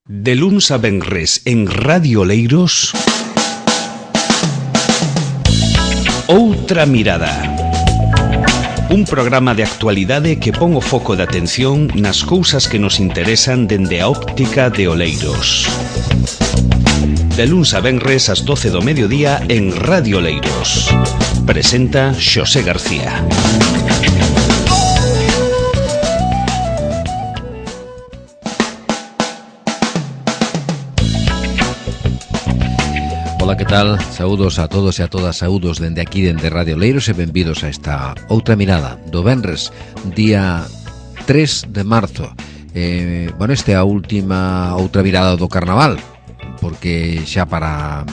De luns a venres en Radio Oleiros, Outra Mirada. Un programa de actualidade que pon o foco de atención nas cousas que nos interesan dende a óptica de Oleiros. De luns a venres ás 12 do mediodía en Radio Oleiros. Presenta Xosé García. Ola, que tal? Saúdos a todos e a todas, saúdos dende aquí, dende Radio Oleiros, e benvidos a esta Outra Mirada do venres, día 3 de marzo. Esta é a última Outra Mirada do Carnaval, porque xa para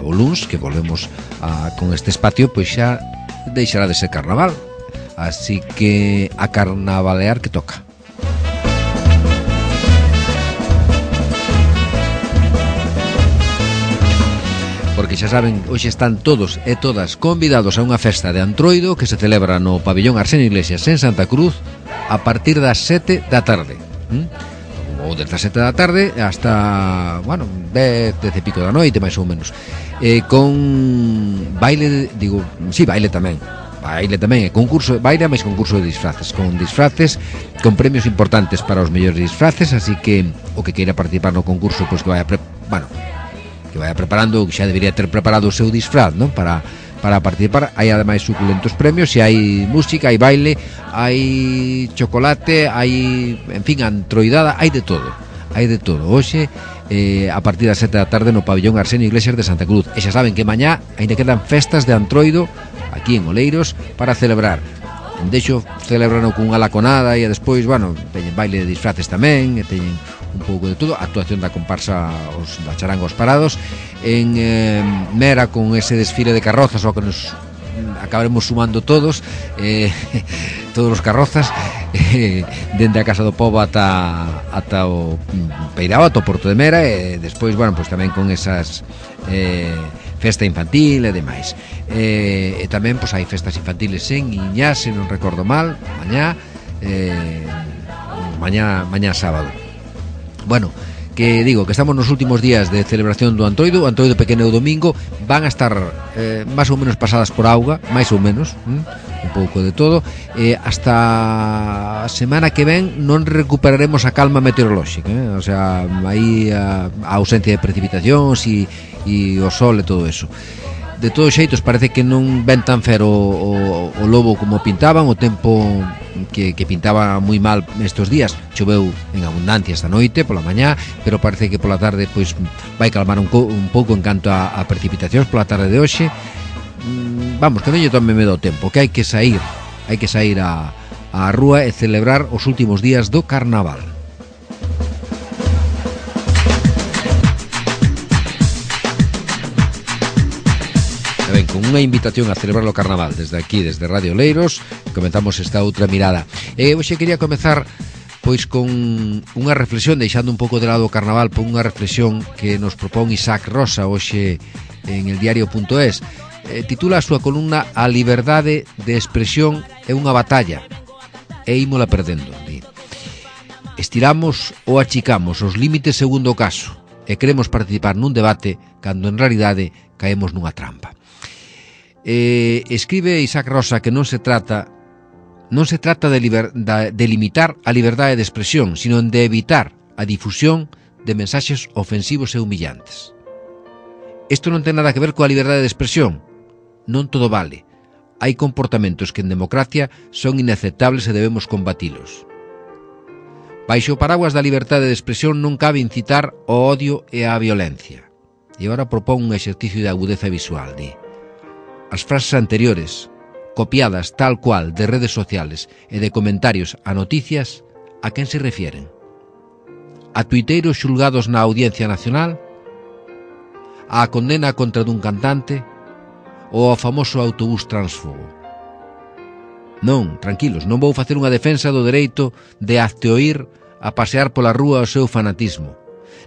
o luns, que volvemos con este espacio, pois xa deixará de ser Carnaval. Así que a carnavalear que toca. Porque xa saben, hoxe están todos e todas convidados a unha festa de Antroido que se celebra no pabellón Arsenio Iglesias en Santa Cruz a partir das 7 da tarde. Ou desde as 7 da tarde hasta, 10 e pico da noite, máis ou menos. Con baile, baile tamén. Baile tamén, concurso, baile máis concurso de disfraces, con con premios importantes para os mellores disfraces, así que o que queira participar no concurso, pois que vaya preparando, que xa debería ter preparado o seu disfraz, non? Para participar. Hai ademais suculentos premios, e hai música, hai baile, hai chocolate, hai, en fin, antroidada, hai de todo. Hoxe, a partir das 7 da tarde no pabellón Arsenio Iglesias de Santa Cruz. E xa saben que mañá ainda quedan festas de Antroido aquí en Oleiros para celebrar. Deixo celebrano cunha laconada e despois, teñen baile de disfraces tamén, e teñen un pouco de todo, a actuación da comparsa da charanga Os Parados, en Mera con ese desfile de carrozas, ao que nos acabaremos sumando todos, todos os carrozas, dende a Casa do Pobo ata o Peirao, ata o Porto de Mera, e despois, tamén con esas festa infantil e demais. E tamén hai festas infantiles en Iñá, se non recordo mal, mañá sábado. Que digo que estamos nos últimos días de celebración do Antroido. O Antroido pequeno e o domingo van a estar máis ou menos pasadas por auga, máis ou menos, un pouco de todo. Hasta a semana que ven non recuperaremos a calma meteorolóxica, o sea, aí a ausencia de precipitacións e o sol e todo eso. De todos xeitos, parece que non ven tan fero o lobo como pintaban. O tempo que pintaba moi mal estes días. Choveu en abundancia esta noite, pola mañá, pero parece que pola tarde pois vai calmar un pouco en canto a precipitacións pola tarde de hoxe. Que non lle tome medo o tempo, que hai que sair á rúa e celebrar os últimos días do Carnaval. Con unha invitación a celebrar o Carnaval desde aquí, desde Radio Oleiros, comenzamos esta Outra Mirada. Hoxe quería comezar pois con unha reflexión, deixando un pouco de lado o Carnaval, por unha reflexión que nos propón Isaac Rosa hoxe en el diario.es. Titula a súa columna "A liberdade de expresión é unha batalla e ímola perdendo". Estiramos ou achicamos os límites segundo o caso e queremos participar nun debate cando en realidade caemos nunha trampa. Escribe Isaac Rosa que non se trata de limitar a liberdade de expresión, sino de evitar a difusión de mensaxes ofensivos e humillantes. Isto non ten nada que ver coa liberdade de expresión. Non todo vale. Hai comportamentos que en democracia son inaceptables e debemos combatilos. Baixo o paraguas da liberdade de expresión non cabe incitar o odio e a violencia. E agora propón un exercicio de agudeza visual. As frases anteriores, copiadas tal cual de redes sociales e de comentarios a noticias, a quen se refieren? A tuiteiros xulgados na Audiencia Nacional? A condena contra dun cantante? Ou ao famoso autobús transfogo? Non, tranquilos, non vou facer unha defensa do dereito de hazteoír a pasear pola rúa o seu fanatismo.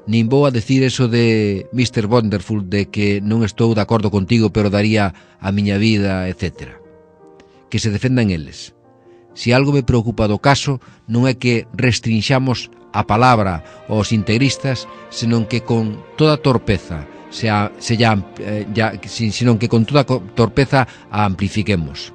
Nin vou a decir eso de Mr. Wonderful, de que non estou de acordo contigo pero daría a miña vida, etc. Que se defendan eles. Se algo me preocupa do caso non é que restrinxamos a palabra aos integristas, senón que con toda torpeza senón que con toda torpeza a amplifiquemos.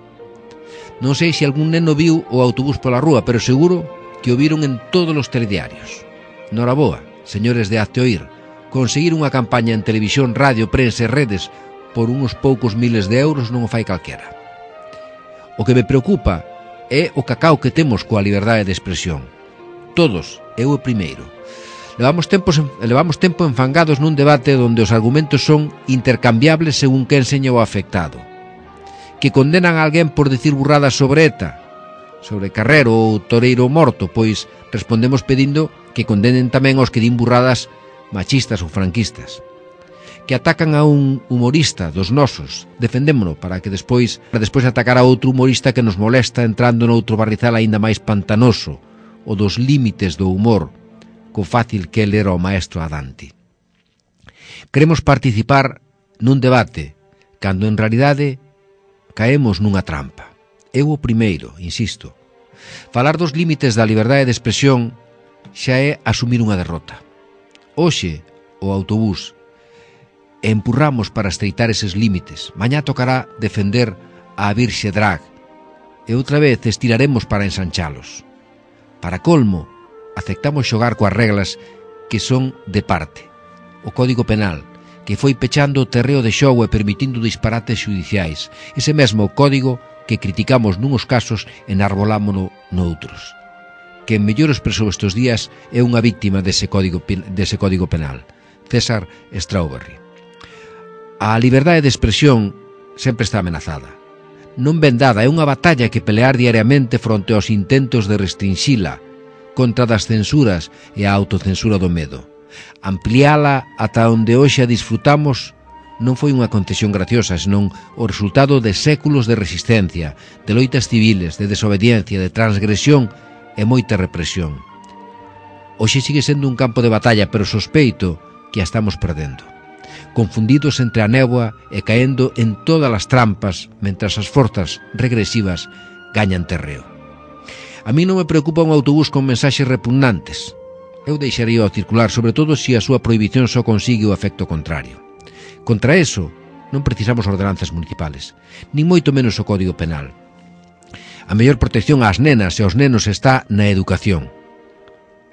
Non sei se algún neno viu o autobús pola rúa, pero seguro que o viron en todos os telediarios. Noraboa, señores de Hazte Oír, conseguir unha campaña en televisión, radio, prensa e redes por uns poucos miles de euros non o fai calquera. O que me preocupa é o cacao que temos coa liberdade de expresión. Todos, eu o primeiro. Levamos tempo enfangados nun debate onde os argumentos son intercambiables según que enseña o afectado. Que condenan a alguén por dicir burradas sobre ETA, sobre Carrero ou Toreiro morto, pois respondemos pedindo que condenen tamén aos que din burradas machistas ou franquistas. Que atacan a un humorista dos nosos, defendémono para despois atacar a outro humorista que nos molesta entrando noutro barrizal aínda máis pantanoso, o dos límites do humor, co fácil que ele era o maestro a Dante. Queremos participar nun debate, cando en realidade caemos nunha trampa. Eu o primeiro, insisto. Falar dos límites da liberdade de expresión xa é asumir unha derrota. Hoxe, o autobús, empurramos para estreitar eses límites. Mañá tocará defender a Virxe Drag e outra vez estiraremos para ensanchalos. Para colmo, aceptamos xogar coas reglas que son de parte. O Código Penal, que foi pechando o terreo de xogo e permitindo disparates xudiciais. Ese mesmo código que criticamos nuns casos e enarbolámono noutros. Quen mellor expresou estes días é unha víctima dese código penal, César Strawberry. A liberdade de expresión sempre está amenazada. Non ben dada, é unha batalla que pelear diariamente fronte aos intentos de restrinxila, contra das censuras e a autocensura do medo. Ampliala ata onde hoxe a disfrutamos non foi unha concesión graciosa, senón o resultado de séculos de resistencia, de loitas civiles, de desobediencia, de transgresión e moita represión. Hoxe sigue sendo un campo de batalla, pero sospeito que a estamos perdendo. Confundidos entre a néboa e caendo en todas as trampas, mentras as forzas regresivas gañan terreo. A mí non me preocupa un autobús con mensaxes repugnantes. Eu deixaría o circular, sobre todo se a súa prohibición só consigue o efecto contrario. Contra eso, non precisamos ordenanzas municipales, nin moito menos o Código Penal. A mellor protección ás nenas e aos nenos está na educación.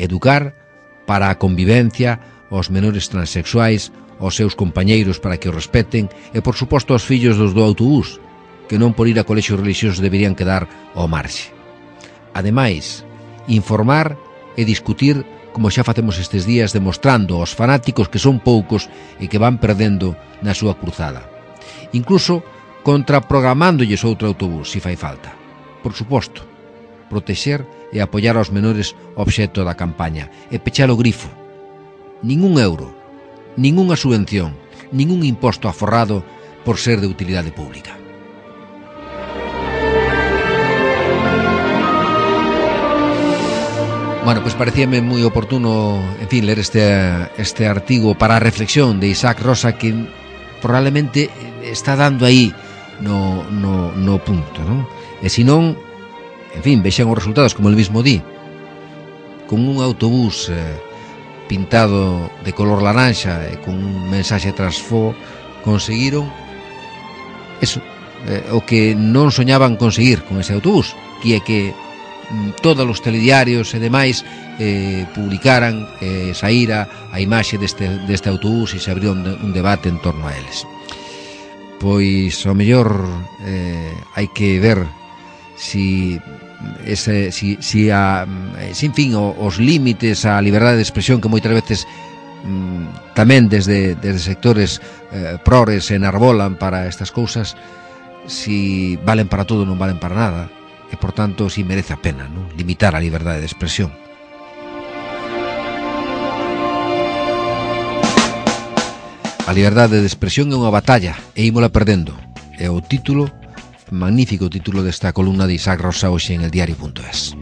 Educar para a convivencia, aos menores transexuais, aos seus compañeiros para que o respeten e, por suposto, aos fillos dos do autobús, que non por ir a colexios religiosos deberían quedar ao marxe. Ademais, informar e discutir como xa facemos estes días, demostrando aos fanáticos que son poucos e que van perdendo na súa cruzada. Incluso contraprogramándollles outro autobús, se fai falta. Por suposto, protexer e apoiar aos menores obxecto da campaña e pechar o grifo. Ningún euro, ningunha subvención, ningún imposto aforrado por ser de utilidade pública. Bueno, pois parecíame moi oportuno, en fin, ler este artigo para a reflexión de Isaac Rosa, que probablemente está dando aí no punto, non? E se non, en fin, vexan os resultados, como el mismo di, con un autobús pintado de color laranxa e con un mensaxe trasfo, conseguiron eso, o que non soñaban conseguir con ese autobús, que é que todos os telediarios e demais publicaran, saíra a imaxe deste autobús e se abriu un debate en torno a eles. Pois ao mellor hai que ver si en fin, os límites á liberdade de expresión que moitas veces tamén desde sectores prores enarbolan para estas cousas, si valen para todo ou non valen para nada. E, por tanto, si merece a pena, non? Limitar a liberdade de expresión. A liberdade de expresión é unha batalla e ímola perdendo. É o título, magnífico título desta columna de Isaac Rosa hoxe en eldiario.es.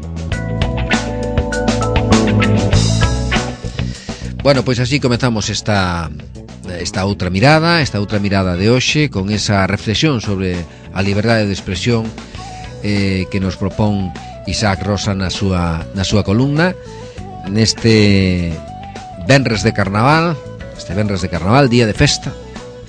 Bueno, pois así comezamos esta outra mirada de hoxe, con esa reflexión sobre a liberdade de expresión que nos propón Isaac Rosa na súa columna neste venres de carnaval, día de festa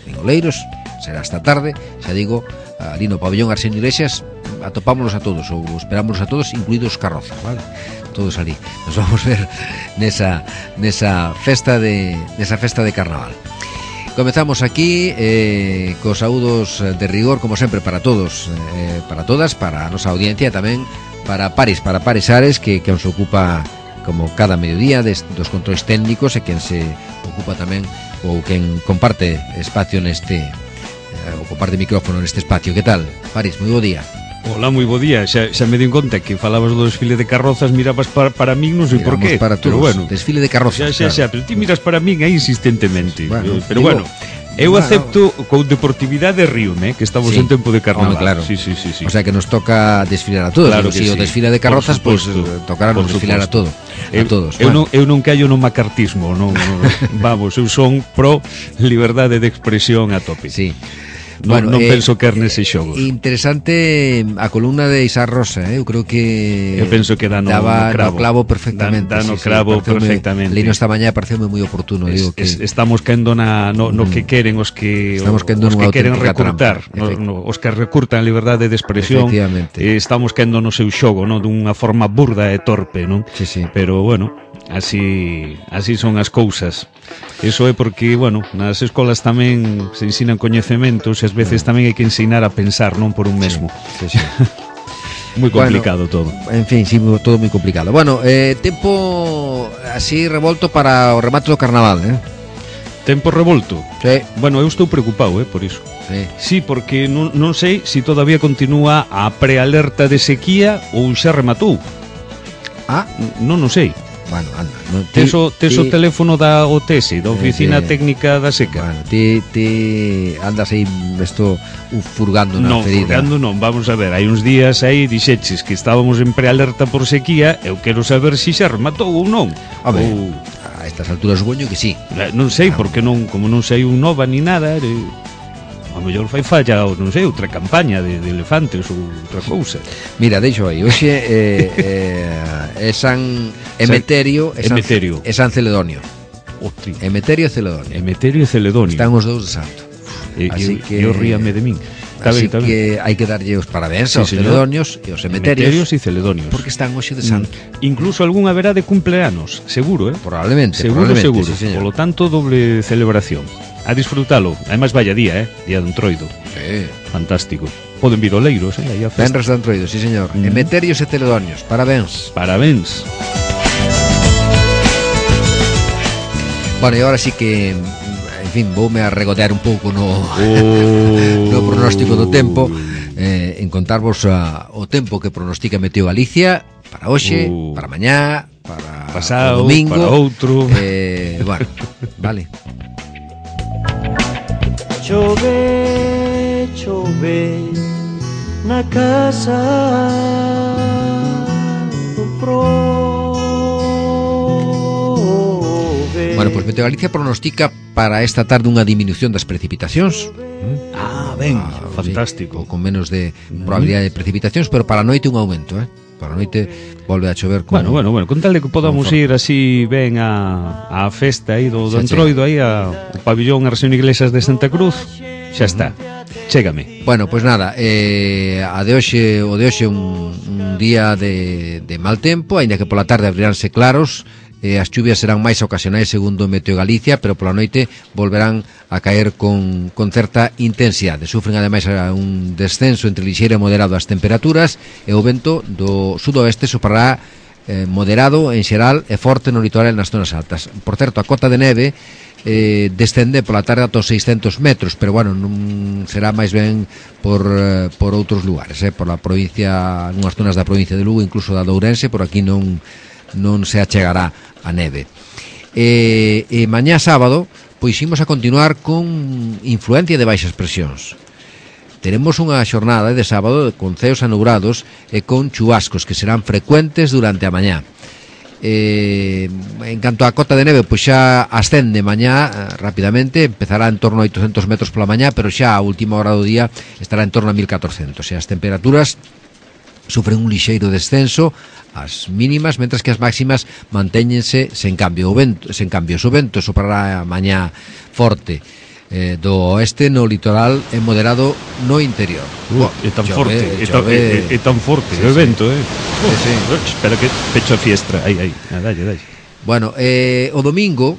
en Oleiros. Será esta tarde, xa digo, ali no pabellón Arsenio Iglesias. Atopámonos a todos, ou esperámonos a todos, incluídos os carrozas, vale? Todos ali. Nos vamos ver nesa festa de carnaval. Comezamos aquí cos saúdos de rigor, como sempre, para todos, para todas, para a nosa audiencia, tamén para Paris Ares, que nos ocupa como cada mediodía dos controis técnicos, e quen se ocupa tamén, ou quen comparte espacio neste, ou comparte micrófono neste espacio. Que tal, Paris? Moi bo día. Hola, moi bo día. Xa me di conta que falabas do desfile de carrozas, mirabas para min, non sei por qué. Para todos, pero bueno, desfile de carrozas. Xa, pero ti miras para min aí insistentemente. Pero bueno, eu acepto con deportividade ríome, que estamos en tempo de carnaval. Claro. Sí. O sea que nos toca desfilar a todos. Claro que si o desfile de carrozas, pues tocará nos desfilar a todos. Eu non callo no macartismo, non. Vamos, eu son pro liberdade de expresión a tope. Sí. Non penso que nese xogo. Interesante a columna de Isaac Rosa, eu creo que eu penso que dá no clavo perfectamente. Dá no clavo perfectamente. Leino esta mañá pareceume moi oportuno, digo que estamos caendo no que queren os que queren recurtar, os que recurtan a liberdade de expresión. Estamos caendo no seu xogo, non, dunha forma burda e torpe, non? Sí. Pero bueno, así son as cousas. Eso é porque, bueno, nas escolas tamén se ensinan coñecementos e ás veces tamén hai que ensinar a pensar, non por un mesmo. Sí. Moi complicado todo. En fin, sí, todo moi complicado. Bueno, tempo así revolto para o remate do carnaval, Tempo revolto? Sí. Bueno, eu estou preocupado, por iso. Sí, porque non sei se todavía continúa a prealerta de sequía ou xa rematou. Non sei. Bueno, anda. Tes o teléfono da OTS, da Oficina Técnica da Seca. Bueno, ti andas aí furgando na ferida. Furgando non, vamos a ver. Hai uns días aí dixeches que estábamos en prealerta por sequía. Eu quero saber se xa rematou ou non. A ver, a estas alturas supoño que sí. Non sei, porque como non sei un nova ni nada, a mellor fai falla, non sei, outra campaña de elefantes ou outra cousa. Mira, deixo aí. Hoxe é San Emeterio e San Celedonio. Emeterio e Celedonio. Están os dous de santo. Así que eu ríame de min. Así que hai que darlle os parabéns aos celedonios e aos emeterios e celedonios, porque están hoxe de santo. Incluso algún haberá de cumpleanos, seguro, Probablemente. Seguro. Sí, por lo tanto, doble celebración. A disfrutalo. Además, vaya día, Día de Entroido. Sí. Fantástico. Poden vir oleiros, aí a festa. Venres de Entroido, sí, señor. Emeterios e celedonios. Parabéns. Bueno, e agora sí que, en fin, voume a regotear un pouco no pronóstico do tempo, en contarvos o tempo que pronostica Meteo Galicia para hoxe, para mañá, para pasado, o domingo, para outro. Bueno, vale. Chove na casa do prove. Bueno, pois Meteo Galicia pronostica para esta tarde unha disminución das precipitacións. Fantástico. Sí, con menos de probabilidade de precipitacións, pero para a noite un aumento, Para a noite volve a chover con... Bueno, con tal de que podamos ir así ben a festa aí do Entroido, aí ao pabellón Arsenio Iglesias de Santa Cruz, xa está. Chégame. Bueno, pois nada, o de hoxe un día de mal tempo, aínda que pola tarde abriránse claros. As chuvias serán máis ocasionais segundo Meteo Galicia, pero pola noite volverán a caer con certa intensidade. Sufren ademais un descenso entre lixeiro e moderado as temperaturas, e o vento do sudoeste soprará moderado en xeral e forte no litoral e nas zonas altas. Por certo, a cota de neve descende pola tarde ata os 600 metros, pero bueno, non será máis ben por outros lugares, por la provincia, nunhas zonas da provincia de Lugo, incluso da de Ourense, por aquí non se achegará a neve. E mañá sábado pois imos a continuar con influencia de baixas presións. Teremos unha xornada de sábado con ceos anubrados e con chubascos que serán frecuentes durante a mañá. En canto a cota de neve, pois xa ascende mañá rapidamente, empezará en torno a 800 metros pola mañá, pero xa a última hora do día estará en torno a 1400, e as temperaturas sufren un lixeiro descenso as mínimas, mentras que as máximas mantéñense sen cambio. O vento soprará mañá forte do oeste no litoral e moderado no interior. É tan forte, é tan forte o vento, espera que pecho a fiestra. Aí, dalle. Bueno, o domingo,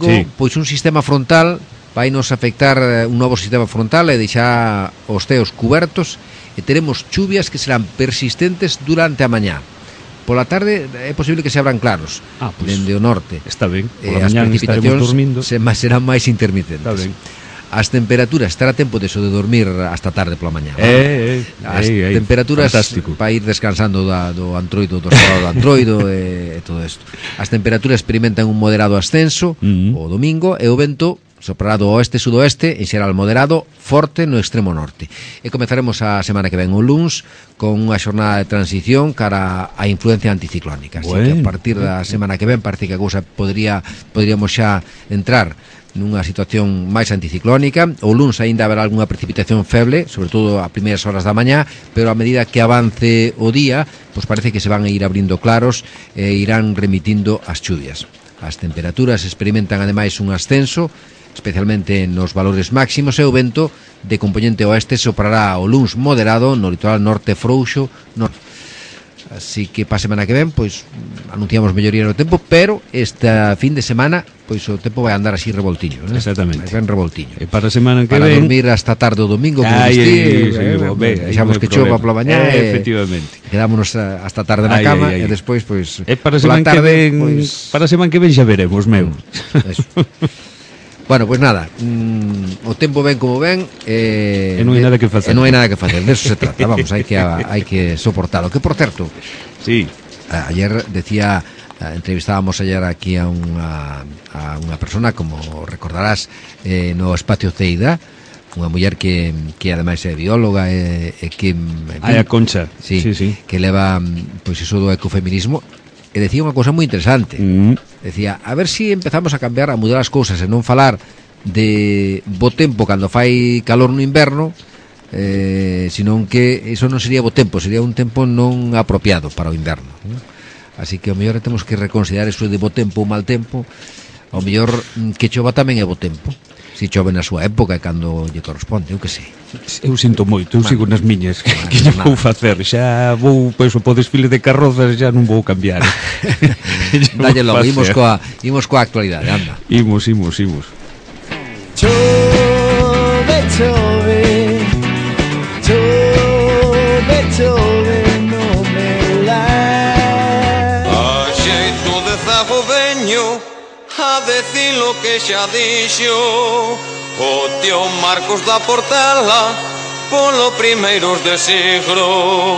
sí, pois un sistema frontal vai nos afectar, un novo sistema frontal e deixar os ceos cubertos e teremos chuvias que serán persistentes durante a mañá. Pola tarde é posible que se abran claros dende o norte. Está ben, pola as mañá precipitacións dormindo. serán máis intermitentes. Está ben. As temperaturas, estará tempo de dormir hasta tarde pola mañá. As temperaturas para ir descansando do antroido, do estado do antroido e todo isto. As temperaturas experimentan un moderado ascenso o domingo e o vento soprará do oeste-sudoeste, en xeral moderado, forte no extremo norte. E comezaremos a semana que ven o luns con unha xornada de transición cara á influencia anticiclónica. Así que a partir da semana que ven parece que a cousa poderíamos xa entrar nunha situación máis anticiclónica. O luns aínda haberá algunha precipitación feble, sobre todo a primeiras horas da mañá, pero a medida que avance o día, pois parece que se van a ir abrindo claros e irán remitindo as chuvias. As temperaturas experimentan ademais un ascenso, especialmente nos valores máximos, e o vento de componente oeste soprará o luns moderado no litoral norte frouxo. Así que para a semana que ven, pois anunciamos melloría no tempo, pero esta fin de semana pois o tempo vai andar así revoltiño, né? Exactamente. Vai ben revoltiño. E para a semana que para ven, dormir hasta tarde o domingo, deixamos que chova pola mañá efectivamente. Quedámonos hasta tarde na cama e despois pois para a semana que ven, para a semana que ven xa veremos, meu. Eso. Bueno, pois nada, o tempo ven como ven e non hai nada que facer. De eso se trata, vamos, hai que soportalo. Que, por certo, sí, ayer decía, entrevistábamos ayer aquí a unha persona, como recordarás, no Espacio Ceida, unha muller que ademais é bióloga e que a Concha, sí, que leva pois iso do ecofeminismo. E decía unha cousa moi interesante. Decía, a ver si empezamos a cambiar, a mudar as cousas e non falar de bo tempo cando fai calor no inverno, senón que iso non sería bo tempo, sería un tempo non apropiado para o inverno. Así que ao mellor temos que reconsiderar iso de bo tempo ou mal tempo. Ao mellor que chova tamén é bo tempo, si chove na súa época e cando lle corresponde, eu que sei. Eu sinto moito, eu sigo nas miñas. Que lle vou facer? Xa vou, pois, po desfile de carrozas xa non vou cambiar. Dalle logo, imos coa actualidade, anda. Imos. Chove, no me la. A xeito de zago veño a decir lo que xa dixo o tío Marcos da Portela polo primeiros de siglo.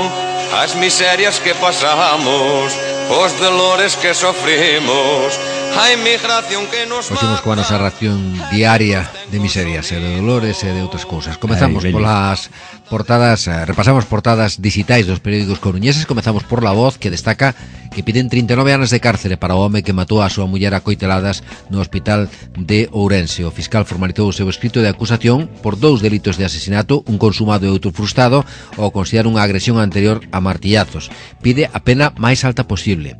As miserias que pasamos, os dolores que sofrimos, a inmigración que nos mata. Imos coa nosa ración diaria de miserias e de dolores e de outras cousas. Comezamos polas portadas, repasamos portadas digitais dos periódicos coruñeses. Comezamos por La Voz, que destaca que piden 39 anos de cárcere para o home que matou a súa muller a coiteladas no hospital de Ourense. O fiscal formalizou o seu escrito de acusación por 2 delitos de asesinato, un consumado e outro frustrado, ao considerar unha agresión anterior a martillazos. Pide a pena máis alta posible.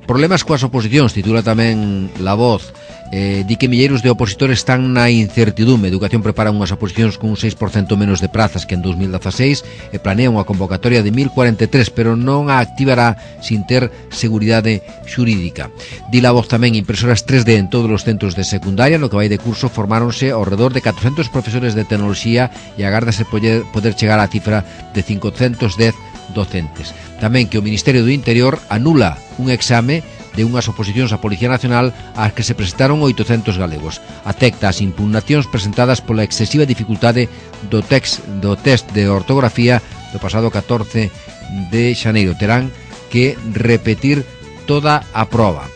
Problemas coas oposicións, titula tamén La Voz. Di que milleiros de opositores están na incertidume. Educación prepara unhas oposicións con un 6% menos de prazas que en 2016 e planea unha convocatoria de 1043, pero non a activará sin ter seguridade xurídica. Di La Voz tamén impresoras 3D en todos os centros de secundaria. No que vai de curso formáronse ao redor de 400 profesores de tecnoloxía e agárdase poder chegar á cifra de 510 docentes. Tamén que o Ministerio do Interior anula un exame de unhas oposicións á Policía Nacional ás que se presentaron 800 galegos. Acepta as impugnacións presentadas pola excesiva dificultade do test de ortografía do pasado 14 de xaneiro. Terán que repetir toda a proba.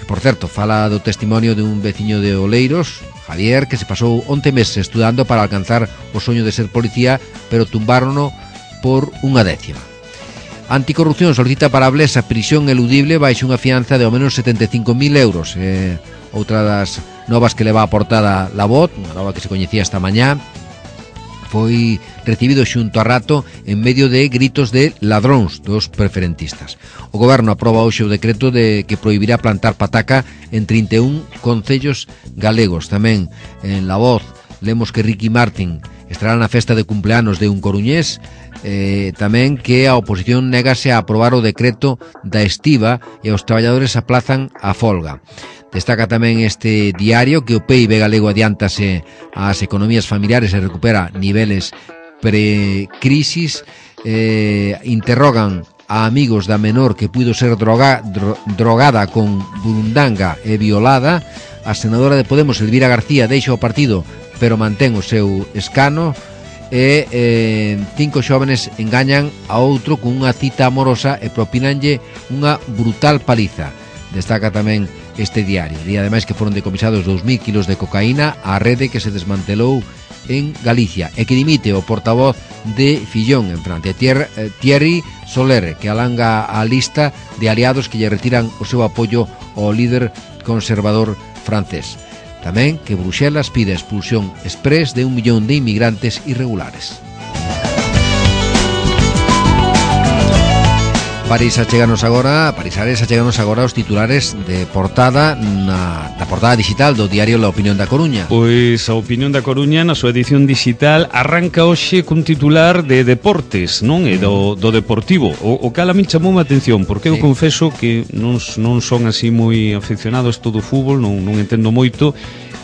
Por certo, fala do testimonio de un veciño de Oleiros, Javier, que se pasou 11 meses estudando para alcanzar o soño de ser policía, pero tumbárono por unha décima. Anticorrupción solicita para Blesa prisión eludible baixo unha fianza de ao menos 75.000 euros. Outra das novas que leva a portada La Voz, unha nova que se coñecía esta mañá. foi recibido xunto a rato en medio de gritos de ladróns dos preferentistas. O goberno aproba hoxe o decreto de que prohibirá plantar pataca en 31 concellos galegos. Tamén en La Voz lemos que Ricky Martin estará na festa de cumpleanos de un coruñés, tamén que a oposición negase a aprobar o decreto da estiba e os traballadores aplazan a folga. Destaca tamén este diario que o PIB galego adiántase ás economías familiares e recupera niveles pre-crisis. Interrogan a amigos da menor que puido ser drogada con burundanga e violada. A senadora de Podemos, Elvira García, deixa o partido pero mantén o seu escano. E 5 xóvenes engañan a outro con unha cita amorosa e propinanlle unha brutal paliza. Destaca tamén este diario. E ademais que foron decomisados 2.000 kilos de cocaína á rede que se desmantelou en Galicia e que dimite o portavoz de Fillón en Francia, Thierry Soler, que alanga a lista de aliados que lle retiran o seu apoio ao líder conservador francés. Tamén que Bruxelas pide a expulsión exprés de 1 millón de inmigrantes irregulares. París acheganos agora os titulares de portada da portada digital do diario La Opinión da Coruña. Pois a Opinión da Coruña na súa edición digital arranca hoxe cun titular de deportes, non? E do Deportivo. O cal a min chamou a atención, porque eu confeso que non son así moi aficionados todo o fútbol, non entendo moito.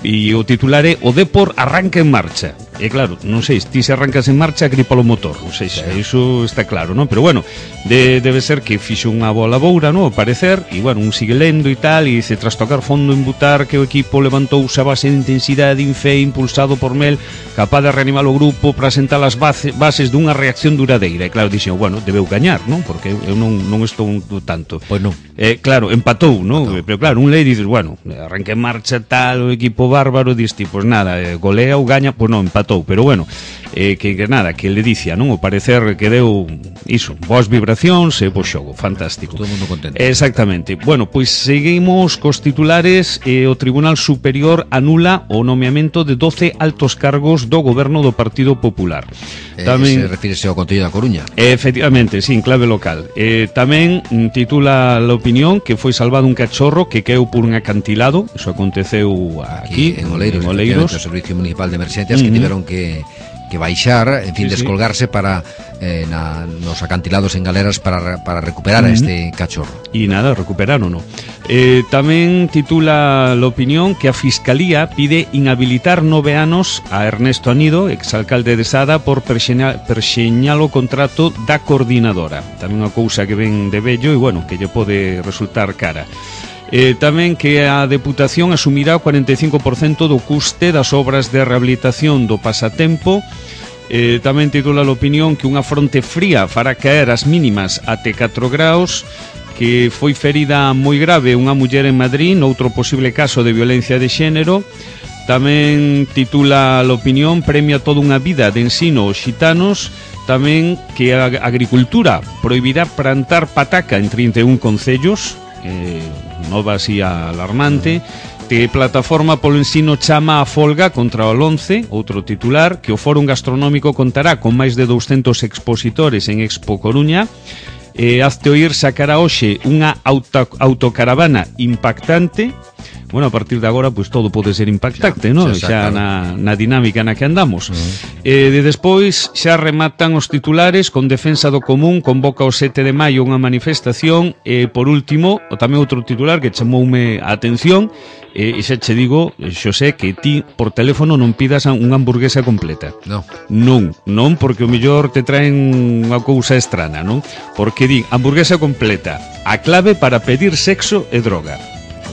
E o titular é o Depor arranca en marcha. E claro, non sei, ti se arrancas en marcha gripa o motor, non sei, iso está claro, non? Pero bueno, debe ser que fixo unha bola boura, non? Ao parecer, e bueno, un sigue lendo e tal, e dice, tras tocar fondo en Butar, que o equipo levantouse a base de intensidade e fe impulsado por Mel, capaz de reanimar o grupo para sentar as bases dunha reacción duradeira. E claro, dixen, bueno, debeu gañar, non? Porque eu non estou tanto. Pois non. Claro, empatou, non? Pero claro, un lei dices, bueno, arranca en marcha tal, o equipo bárbaro, diste, pois nada, golea ou gaña, pois non, empatou, pero bueno, que nada, que le dicia, non? O parecer que deu iso, boas vibracións e bo xogo, fantástico. Todo o mundo contento. Exactamente. Bueno, pois seguimos cos titulares. O Tribunal Superior anula o nomeamento de 12 altos cargos do goberno do Partido Popular. Tamén se refírese ao Concello da Coruña. Efectivamente, sí, en clave local. Tamén titula La Opinión que foi salvado un cachorro que caeu por un acantilado. Eso aconteceu aquí en Oleiros, o Servicio Municipal de Emerxencias, que tiveron que baixar, en fin, descolgarse para nos acantilados en galeras para recuperar a este cachorro. E nada, recuperaron, non? Tamén titula La Opinión que a Fiscalía pide inhabilitar 9 anos a Ernesto Anido, exalcalde de Sada, por perxeñar o contrato da coordinadora. Tamén unha cousa que ven de vello e, bueno, que lle pode resultar cara. Tamén que a Deputación asumirá o 45% do custe das obras de rehabilitación do Pasatempo. Tamén titula La Opinión que unha fronte fría fará caer as mínimas até 4 graus, que foi ferida moi grave unha muller en Madrid noutro posible caso de violencia de xénero. Tamén titula La Opinión premia toda unha vida de ensino aos xitanos. Tamén que a agricultura prohibirá plantar pataca en 31 concellos, nova así alarmante. Que Plataforma polo Ensino chama a folga contra o 11, outro titular, que o Fórum Gastronómico contará con máis de 200 expositores en Expo Coruña. Hazte oír sacará hoxe unha autocaravana impactante. Bueno, a partir de agora, pois todo pode ser impactante, non? Xa na dinámica na que andamos. Despois xa rematan os titulares con Defensa do Común, convoca o 7 de maio unha manifestación. Por último, tamén outro titular que chamoume a atención, e xa che digo, Xosé, que ti por teléfono non pidas unha hamburguesa completa. Non, porque o mellor te traen unha cousa estrana, non? Porque di, hamburguesa completa, a clave para pedir sexo e droga.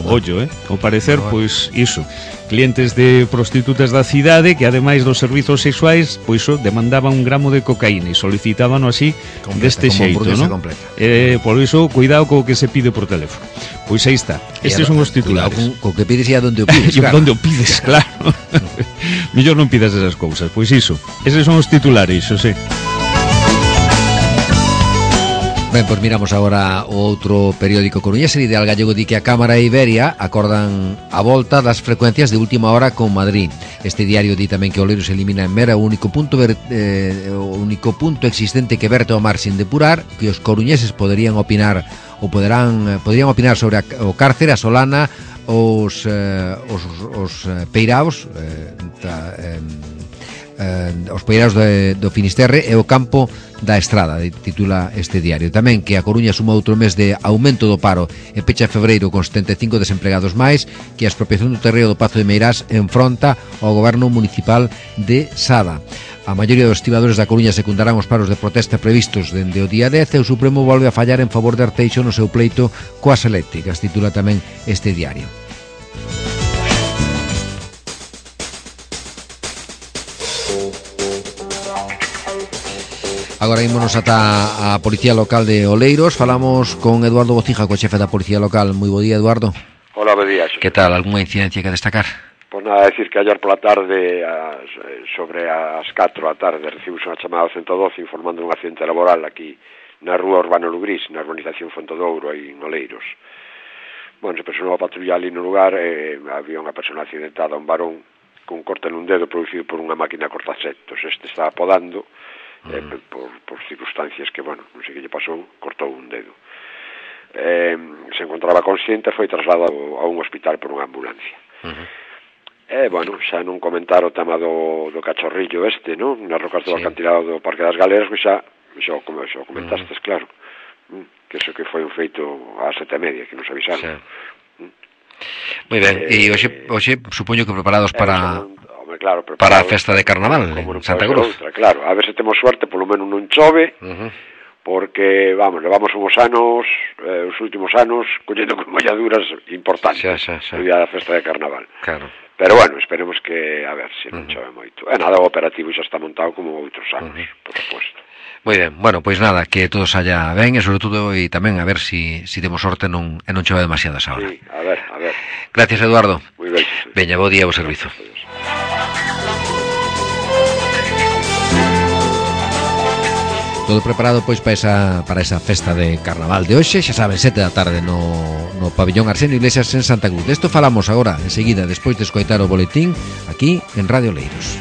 Ollo, ao parecer, pois, iso, clientes de prostitutas da cidade que, ademais dos servizos sexuais, pois, demandaban 1 gramo de cocaína e solicitábano así, deste xeito, non? Por iso, cuidado co que se pide por teléfono. Pois aí está, estes son os titulares. Co que pides e a donde o pides, claro. Donde o pides, claro. Mellor non pidas esas cousas, pois iso, eses son os titulares, Xosé. Ben, pois miramos agora o outro periódico coruñés. El Ideal Gallego di que a Cámara e Iberia acordan a volta das frecuencias de última hora con Madrid. Este diario di tamén que Oleiros elimina en Mera o único punto existente que verte ao mar sin depurar, que os coruñeses poderían opinar podrían opinar sobre o cárcere, a Solana, os peiraos os peiraos do Finisterre e o campo da Estrada, titula este diario. Tamén que a Coruña suma outro mes de aumento do paro e pecha febreiro con 75 desempregados máis, que a expropiación do terreo do Pazo de Meirás enfronta ao goberno municipal de Sada. A maioría dos estibadores da Coruña secundarán os paros de protesta previstos dende o día 10 e o Supremo volve a fallar en favor de Arteixo no seu pleito coas eléctricas, titula tamén este diario. Agora ímonos ata a Policía Local de Oleiros. Falamos con Eduardo Bocija, co xefe da Policía Local. Moi bo día, Eduardo. Hola, bo día. Que tal? Algúnha incidencia que destacar? Pois nada, decir que ayer pola tarde, sobre as 4 da tarde, recibimos unha chamada ao 112 informando un accidente laboral aquí na rúa Urbano Lugrís, na urbanización Fontodouro, aí en Oleiros. Bueno, se personou a patrulla ali no lugar, había unha persona accidentada, un varón, con un corte nun dedo producido por unha máquina cortasetos. Este estaba podando, por circunstancias que, bueno, non sei que lle pasou, cortou un dedo. Se encontraba consciente, foi trasladado a un hospital por unha ambulancia. Bueno, xa non comentar o tema do cachorrillo este, non? Nas rocas do acantilado do Parque das Galeras, que xa comentastes, claro. Que eso que foi un feito ás 7:30, que nos avisaron. Moi ben, e hoxe supoño que preparados para para a festa de Carnaval en Santa Cruz. Claro, a ver se temos suerte, polo menos non chove, porque, vamos, levamos uns anos, os últimos anos, collendo con molladuras importantes no día da festa de Carnaval. Claro. Pero bueno, esperemos que, a ver, se non chove moito. Nada, o operativo xa está montado como outros anos, por suposto. Moi ben, bueno, pois nada, que todo saia ben e sobre todo e tamén a ver si temos sorte e non chove demasiadas ahora. Sí, a ver. Gracias, Eduardo. Moi ben. Veña, bo día, bo servizo. Todo preparado pois para esa festa de Carnaval de hoxe, xa saben, 7 da tarde no pabellón Arsenio Iglesias en Santa Cruz. Desto falamos agora, enseguida, despois de escoitar o boletín aquí en Radio Oleiros.